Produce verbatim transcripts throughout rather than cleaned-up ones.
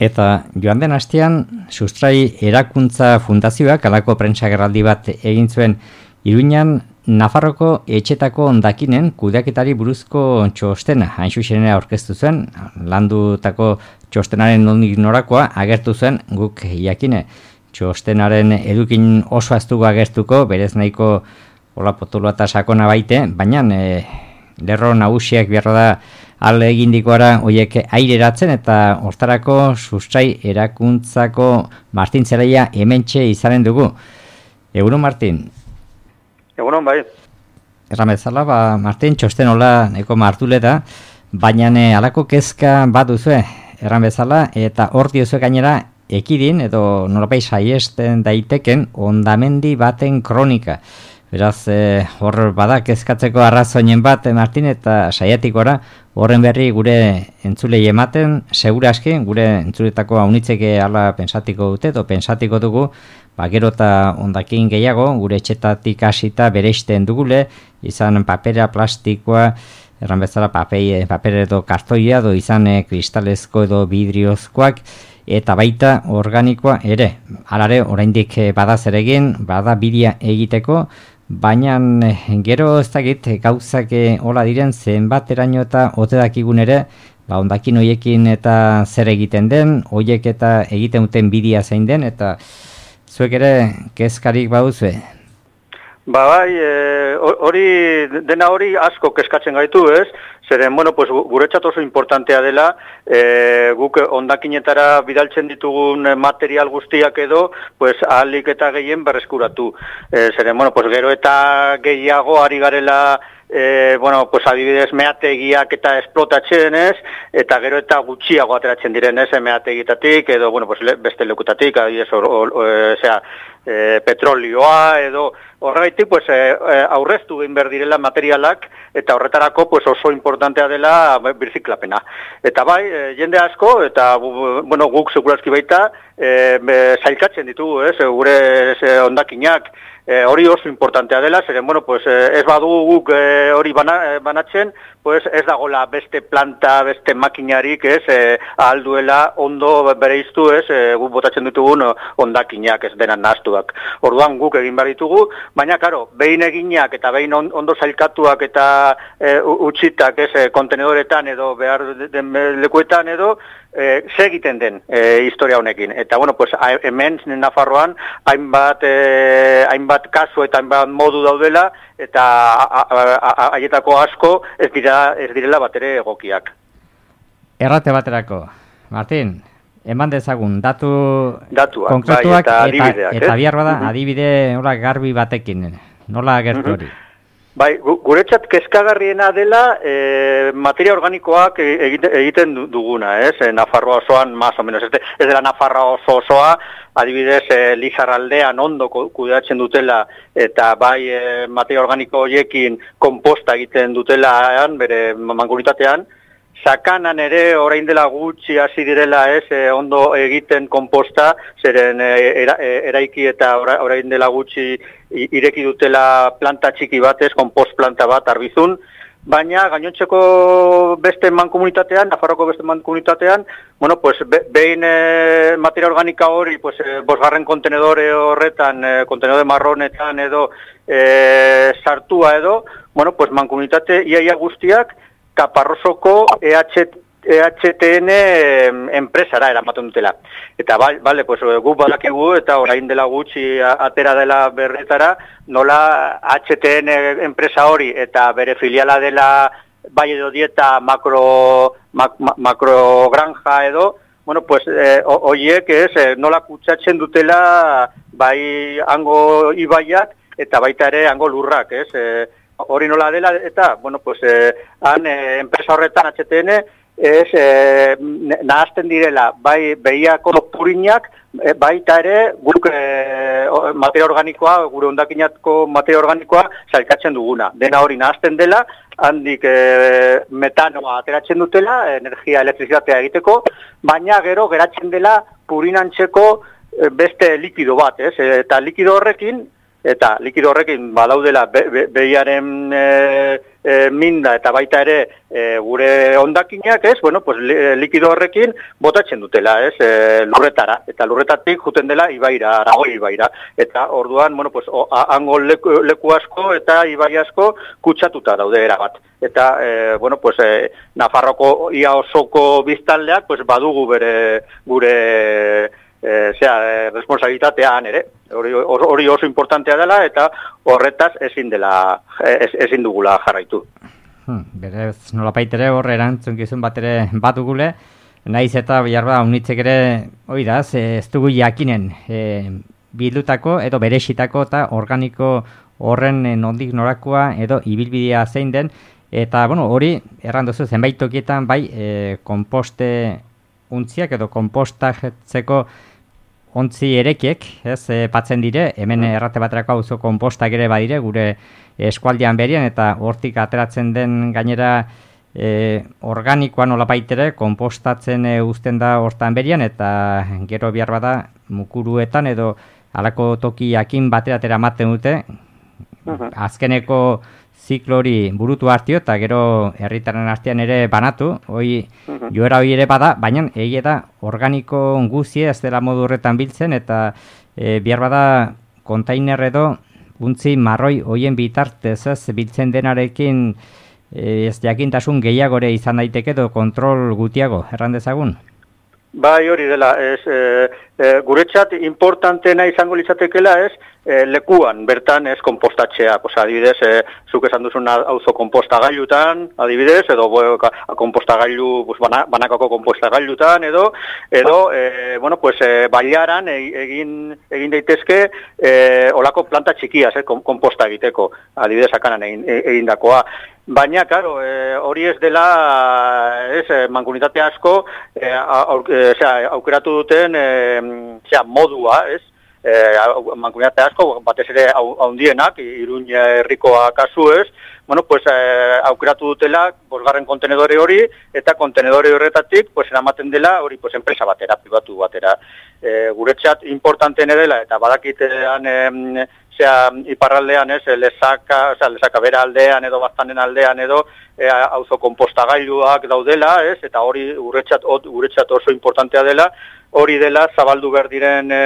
Eta joan den astean, Sustrai Erakuntza Fundazioak halako prentsagerraldi bat egin zuen Iruñan Nafarroko etxetako hondakinen kudeaketari buruzko txostena, hain zuzenera aurkeztu zuen, landutako txostenaren nondik norakoa agertu zen guk jakine. Txostenaren edukin oso aztuko agertuko, berez nahiko hola potoloa eta sakona baite, baina e, lerro nagusiak beharra da alde egindikoara horiek aireratzen eta hortarako Sustrai Erakuntzako Martin Zelaia hementxe izanen dugu. Egunon, Martin? Egunon, bai. Erran bezala, ba, Martin, txosten hola neko martuleta, baina e, alako kezka bat duzue, erran bezala, eta hor diozue gainera ekidin edo nolapait saiesten daiteken hondamendi baten kronika. Beraz, eh, hor bada kezkatzeko arrazoinen bat, Martin, eta saiatikora horren berri gure entzulei ematen, segura aski, gure entzuletako haunitzeke ala pensatiko dute, edo pensatiko dugu, ba, gero eta hondakin gehiago, gure etxetatik hasita bereizten dugule, izan papera, plastikoa, erran bezala papei, paper edo kartoia, edo izan eh, kristalezko edo vidriozkoak, eta baita organikoa ere. Halare, oraindik bada zer egin, bada bidia egiteko, baina gero ez dakit gauzak hola diren zenbat eraino eta ote dakigun ere, ba, hondakin hoiekin eta zer egiten den, hoiek eta egiten duten bidia zein den, eta zuek ere kezkarik baduzue. Ba bai, hori e, dena hori asko kezkatzen gaitu, ez? Zeren, bueno, pues, guretzat oso importantea dela, e, guk hondakinetara bidaltzen ditugun material guztiak edo, pues, ahalik eta gehien berreskuratu. E, zeren, bueno, pues, gero eta gehiago ari garela, e, bueno, pues, adibidez meategiak eta esplotatzen, ez? Eta gero eta gutxiago ateratzen diren, ez? Meategitatik edo, bueno, pues, beste lekutatik, adibidez, or, or, or, osea, e, petrolioa edo, horregaitik, pues, e, aurreztu egin behar direla materialak, eta horretarako pues, oso importantea dela birziklapena. Eta bai, e, jende asko, eta bueno, guk seguraski baita, e, zailkatzen ditugu, ez, gure ez, hondakinak, e, hori oso importantea dela, zeren, bueno, pues, ez badugu guk e, hori bana, banatzen, pues, ez dagola beste planta, beste makinarik, ez, e, ahalduela ondo bereiztu, ez, e, guk botatzen ditugun hondakinak, ez denan nahaztuak. Orduan guk egin behar ditugu, baina, karo, behin eginak eta behin ondo zailkatuak eta e, utzitak, ez, kontenedoretan edo behar den lekuetan edo, e, segiten den e, historia honekin. Eta, bueno, pues, hemen Nafarroan hainbat, e, hainbat kasu eta hainbat modu daudela, eta haietako asko ez dira ez direla batere egokiak. Errate baterako, Martin, eman dezagun, datu Datuak, konkretuak bai, eta, eta, eta bihar bada, uh-huh. adibide hola garbi batekin, nola gertu hori? Uh-huh. Bai, guretzat kezkagarriena dela e, materia organikoak egite, egiten duguna, ez? E, Nafarroa osoan, más o menos, ez, de, ez dela Nafarroa oso osoa, adibidez, e, Lizarraldean ondo kudeatzen dutela, eta bai e, materia organiko horiekin komposta egiten dutela, bere mankomunitatean, Sakanan ere orain dela gutxi hasi direla, ez, e, ondo egiten komposta, zeren e, era, e, eraiki eta orain dela gutxi ireki dutela planta txiki bat, ez, kompost planta bat Arbizun, baina gainontzeko beste mankomunitatean, Nafarroko beste mankomunitatean, bueno, pues be, behin e, materia organika hori, pues e, bosgarren kontenedore horretan, e, kontenedore marronetan edo e, sartua edo, bueno, pues mankomunitate iaia guztiak Kaparrosoko E H T N enpresara eramaten dutela. Eta bale, pues, guk badakigu eta orain dela gutxi atera dela berretara, nola H T N enpresa hori eta bere filiala dela bai edo dieta makro, mak, makro granja edo, bueno, pues, horiek eh, ez, nola kutsatzen dutela bai hango ibaiak eta baita ere hango lurrak, ez, eh, hori nola dela, eta, bueno, pues, eh, han, eh, enpresa horretan H T N, ez, eh, nahazten direla, bai, behiako purinak, eh, baita ere, guk eh, materia organikoa, gure hondakinatko materia organikoa, zailkatzen duguna. Dena hori nahazten dela, handik eh, metanoa ateratzen dutela, energia, elektrizitatea egiteko, baina gero geratzen dela purinantzeko eh, beste likido bat, ez, eta likido horrekin, Eta likido horrekin badaudela be, be, behiaren e, e, minda eta baita ere e, gure hondakinak, ez, bueno, pues, likido horrekin botatzen dutela, ez, e, lurretara, eta lurretatik juten dela ibaira, Aragoi ibaira, eta orduan, bueno, pues, o, a, hango leku, leku asko eta ibai asko kutsatuta daude erabat. Eta, e, bueno, pues, e, Nafarroko ia osoko biztanleak, pues, badugu bere, gure, e, zera, e, responsabilitatean ere, hori, hori oso importantea dela, eta horretaz ezin dela, ez, ezin dugula jarraitu. Hmm, berez, nolapait ere horre erantzunkizun bat ere bat dugule, naiz eta biharba unitzek ere, hori da, ez dugu jakinen, e, bildutako edo berexitako eta organiko horren nondik norakoa edo ibilbidea zein den, eta, bueno, hori, erran duzu, zenbait tokietan, bai, e, komposte untziak edo kompostatzeko ontzi erekiek, ez, e, patzen dire, hemen errate baterako auzo kompostak ere badire, gure eskualdean berien, eta hortik ateratzen den gainera e, organikoa nolapait ere, kompostatzen e, uzten da hortan berien, eta gero bihar bada mukuruetan edo halako toki jakin bateratera ematen dute, uh-huh. azkeneko ziklori burutu hartio, eta gero herritaren artean ere banatu, hoi uh-huh. joera hori ere bada, baina egia da organiko guzie ez dela modu horretan biltzen, eta e, bihar bada kontainer edo untzi marroi hoien bitartez ez biltzen denarekin e, ez jakintasun gehiagore izan daiteke edo kontrol gutiago, erran dezagun? Bai, hori dela, ez, e, e, guretzat importantena izango litzatekela ez, e, lekuan, bertan ez kompostatzea, pues, adibidez, e, zuk esan duzun auzo kompostagailutan, adibidez, edo kompostagailu, pues, bana, banakako kompostagailutan, edo, edo, e, bueno, pues, e, bailaran egin, egin daitezke, e, olako planta txikiaz, eh, komposta egiteko, adibidez, akanan egin, egin dakoa. Baina, claro, e, hori ez dela, ez, mankomunitate asko, e, aur, e, zera, aukeratu duten, e, zera, modua, ez, e, mankomunitate asko, batez ere haundienak, Iruña herrikoa kasu ez, bueno, pues, e, aukeratu dutela, bosgarren kontenedore hori, eta kontenedore horretatik, pues, eramaten dela, hori, pues, enpresa batera, pribatu batera. E, guretzat importanten edela, eta badakitean, e, Osea, iparraldean ez, lezaka, osea, lezaka bera aldean edo baztanen aldean edo e, auzo kompostagailuak daudela, ez, eta hori guretzat, guretzat oso importantea dela, hori dela zabaldu behar diren, e,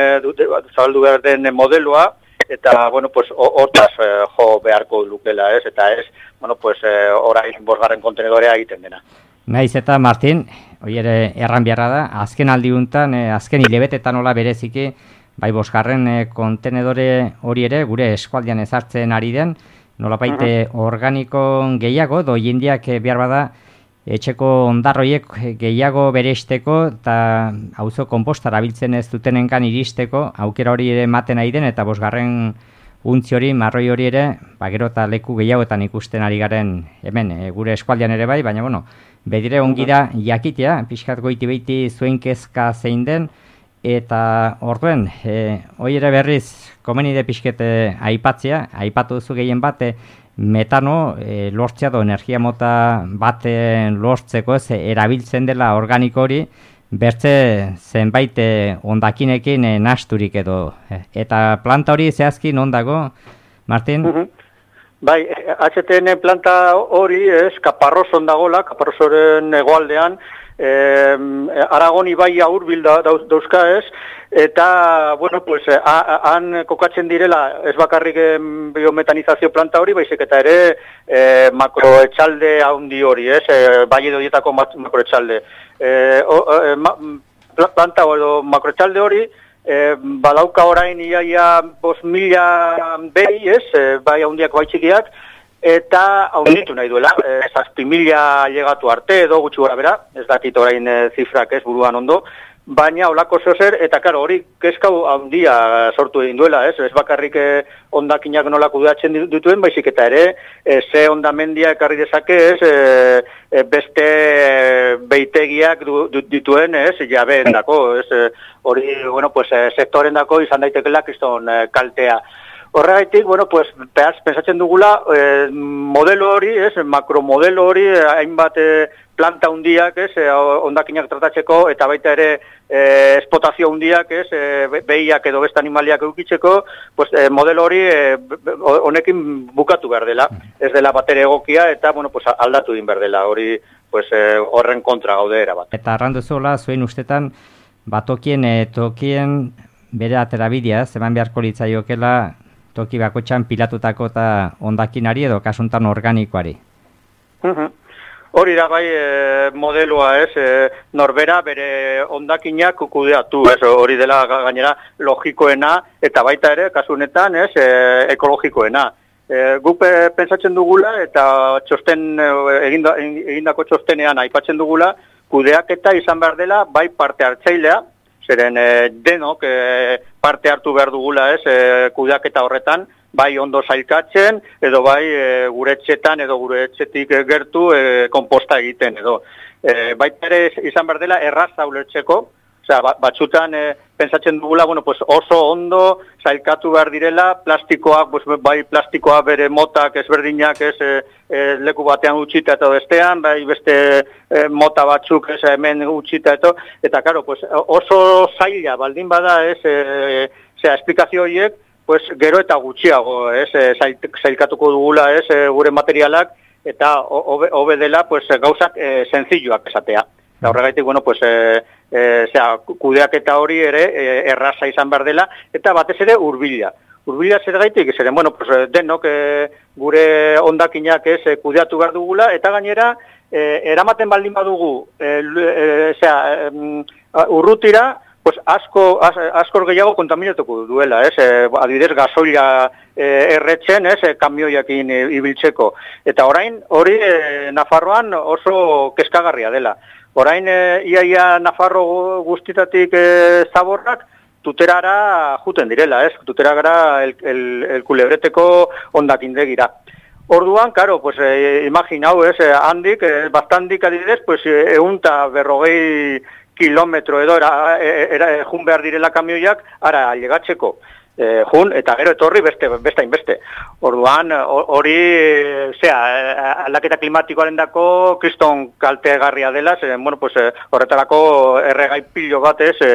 zabaldu behar den modeloa, eta, bueno, pues, hortaz e, jo beharko lukela, ez, eta ez, bueno, pues, e, orain bosgarren kontenedorea egiten dena. Naiz eta, Martin, hori ere erran beharra da, azken aldiuntan, e, azken hilebetetan hola bereziki, bai bosgarren e, kontenedore hori ere gure eskualdean ezartzen ari den, nolapaite uh-huh. organiko gehiago, do jendiak e, behar bada etxeko ondarroiek gehiago beresteko eta auzo konpostara biltzen ez dutenenkan iristeko, aukera hori ere ematen ari den, eta bosgarren untzi hori, marroi hori ere, ba, gero eta leku gehiagoetan ikusten ari garen hemen, e, gure eskualdean ere bai, baina bueno, bedire ongi da jakitea, pixkat goiti beiti zuen kezka zein den, eta orduen, e, hori ere berriz, komenide pixkete aipatzea, aipatu duzu gehien bate, metano e, lortzea do energia mota baten lortzeko ez, erabiltzen dela organiko hori, bertze zenbait ondakinekin e, nasturik edo. E, eta planta hori zehazki non dago, Martin? Uh-huh. Bai, H T N planta hori ez, Kaparroson dagola, Kaparrosoren hegoaldean, Eh, Aragon ibai hurbil da, dauzka ez, eta, bueno, pues, han kokatzen direla, ez bakarrik biometanizazio planta hori, baizik eta ere eh, makroetxalde haundi hori, ez, eh, bai edo dietako makroetxalde. Eh, eh, ma, planta edo makroetxalde hori, eh, badauka orain iaia bos mila behi, ez, eh, bai haundiak bai txikiak, eta haunditu nahi duela, e, zazpi mila llegatu arte edo gutxi gora bera, ez dakit orain e, zifrak ez buruan ondo, baina olako zozer, eta karo, hori kezkau handia sortu egin duela, ez, ez bakarrik e, ondakinak nola kudeatzen dituen, baizik eta ere, e, ze ondamendia ekarri dezake, ez, e, e, beste beitegiak du, du, dituen, ez, jabeendako, ez, e, hori, bueno, pues, e, sektorendako izan daitekela kriston e, kaltea. Horregaitik, bueno, pues, behaz, pensatzen dugula, eh, modelo hori, ez, makromodelo hori, hainbat eh, planta hundiak, ez, eh, ondakinak tratatzeko, eta baita ere eh, espotazio hundiak, ez, eh, behiak edo beste animaliak eukitzeko, pues, eh, modelo hori eh, honekin bukatu behar dela, ez dela batere egokia, eta, bueno, pues, aldatu din behar dela, hori, pues, eh, horren kontra gaude erabat. Eta arranduzola, zuen ustetan, batokien, e, tokien bere aterabidea, zeman beharko litzaiokela, toki bakotxan pilatutako eta ondakinari edo kasuntan organikoari. Hori da bai e, modeloa, ez, e, norbera bere ondakinak kudeatu, ez, hori dela gainera logikoena eta baita ere, kasu honetan, ez, e, ekologikoena. E, guk e, pentsatzen dugula eta txosten eginda, egindako txostenean aipatzen dugula, kudeaketa izan behar dela bai parte hartzailea, zeren e, denok e, parte hartu behar dugula, ez, e, kudeaketa horretan, bai ondo sailkatzen, edo bai e, gure etxetan edo gure etxetik gertu e, konposta egiten, edo. E, baita ere izan behar dela erraza ulertzeko, osea, batzutan e, pentsatzen dugula, bueno, pues oso ondo sailkatu behar direla, plastikoak, pues, bai plastikoa bere motak ezberdinak, ez, e, e, leku batean utxita eta bestean, bai beste e, mota batzuk ez, hemen utxita eta, eta karo, pues, oso zaila baldin bada, ez, e, zera, esplikazio horiek, pues, gero eta gutxiago, ez, zailkatuko dugula, ez, gure materialak, eta hobe, hobe dela, pues, gauzak e, senzilloak esatea. Eta horregaitik, bueno, pues, e, e, zera, kudeaketa hori ere e, erraza izan behar dela, eta batez ere urbila. Urbila zer gaitik, zeren, bueno, pues, denok e, gure ondakinak ez e, kudeatu behar dugula, eta gainera, e, eramaten baldin badugu, e, e, zera, e, urrutira, pues asko, as, askor gehiago kontaminatuko duela, ez? E, adibidez, gasoila e, erretzen, ez? E, kamioiakin e, ibiltzeko. Eta orain, hori e, Nafarroan oso kezkagarria dela. Orain, e, iaia Nafarro guztitatik e, zaborrak, tuterara juten direla, ez? Tuterara el, el, el kulebreteko ondakindegira. Orduan, karo, pues, e, imaginau, ez? E, handik, e, bastandik adibidez, pues, eunta berrogei kilometro edo era, era, jun behar direla kamioiak, ara, llegatzeko. E, jun, eta gero etorri beste, beste hainbeste. Orduan, hori, zera, aldaketa klimatikoaren dako, kriston kaltegarria dela, ze, bueno, pues, horretarako erregai pilo batez e,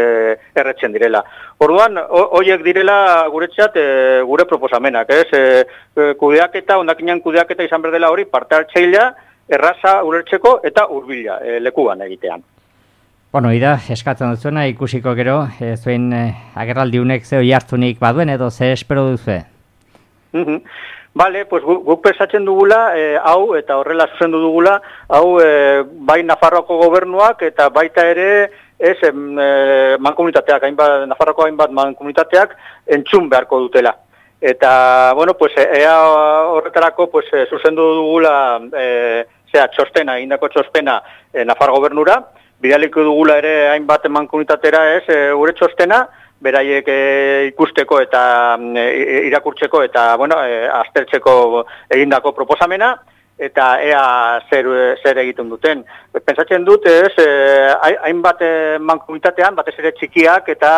erretzen direla. Orduan, horiek direla guretzat e, gure proposamenak, ez? E, kudeaketa, ondakinan kudeaketa izan behar dela hori, parte hartzailea, erraza ulertzeko eta hurbila e, lekuan egitean. Bueno, ida, eskatzen duzuena ikusiko gero, e, zuen e, agerraldiunek zeo jartzunik baduen edo ze espero duzu? Mm -hmm. Bale, pues guk gu pensatzen dugula, e, hau, eta horrela zuzendu dugula, hau e, bai Nafarroako gobernuak eta baita ere, ez, e, mankomunitateak, hainbat, Nafarroako hainbat mankomunitateak entzun beharko dutela. Eta, bueno, pues, ea horretarako, pues, zuzendu dugula, e, zera, txostena, egindako txostena e, Nafarro gobernura, bidaliko dugula ere hainbat mankomunitatera, ez, e, gure txostena, beraiek e, ikusteko eta e, irakurtzeko eta, bueno, e, aztertzeko egindako proposamena, eta ea zer, zer egiten duten. Pentsatzen dut, ez, e, hainbat mankomunitatean, batez ere txikiak eta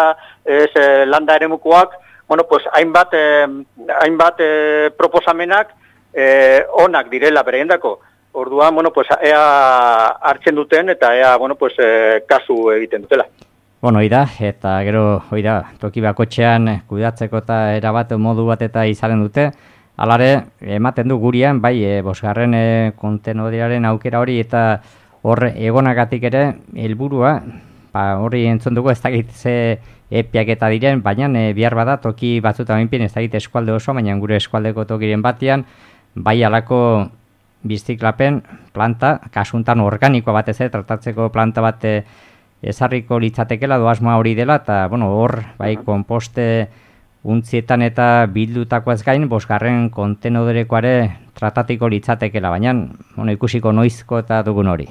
ez, e, landa eremukoak, bueno, pues, hainbat, e, hainbat e, proposamenak e, onak direla bereiendako. Orduan, bueno, pues, ea hartzen duten eta ea, bueno, pues, e, kasu egiten dutela. Bueno, oida, eta gero, oida, toki bakotxean kudeatzeko eta erabat modu bat eta izanen dute. Alare, ematen du gurian, bai, e, bosgarren e, kontenodieraren aukera hori eta hor egonagatik ere, helburua, ba, horri entzun dugu ez dakit ze epiak eta diren, baina e, bihar bada toki batzuta minpien ez dakit eskualde oso, baina gure eskualdeko tokiren batian, bai alako biziklapen planta, kasuntan organikoa batez ere, tratatzeko planta bat ezarriko litzatekela, doasmoa hori dela, eta bueno, hor, bai, konposte untzietan eta bildutako ez gain, bosgarren kontenodorekoare tratatiko litzatekela, baina bueno, ikusiko noizko eta dugun hori.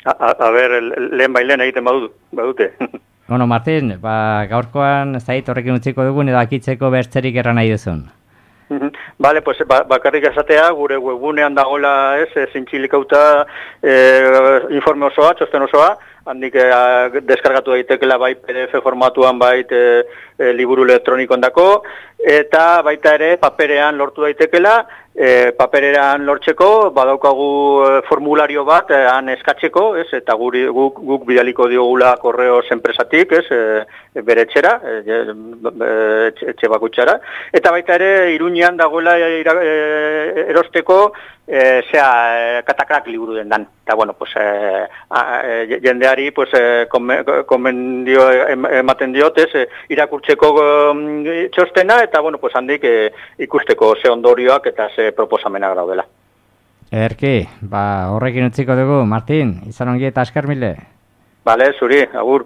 A, a, a ber, lehen bailen egiten badut, badute. Bueno, Martin, ba, gaurkoan zait horrekin utziko dugun edo akitzeko bertzerik erran nahi duzun. Bale, pues, ba, bakarrik esatea, gure webgunean dagoela, ez, zintxilikauta e, informe osoa, txosten osoa, handik e, deskargatu daitekela bai P D F formatuan bai e, e, liburu elektronikoan dako, eta baita ere paperean lortu daitekela, e, paperean lortzeko badaukagu e, formulario bat e, han eskatzeko, ez, eta guri, guk, guk bidaliko diogula korreos enpresatik, ez, e, bere etxera, e, e, etxe bakutxara, eta baita ere Iruñean dagoela e, e, erosteko E, zea, e, katakrak liburu dendan. Eta, bueno, pues, e, a, e, jendeari, pues, e, konbendio ematen diot, ez, e, irakurtzeko e, txostena, eta, bueno, pues, handik e, ikusteko ze ondorioak eta ze proposamenak daudela. Erki, ba, horrekin utziko dugu, Martin, izan ongi eta askar mile. Bale, zuri, agur.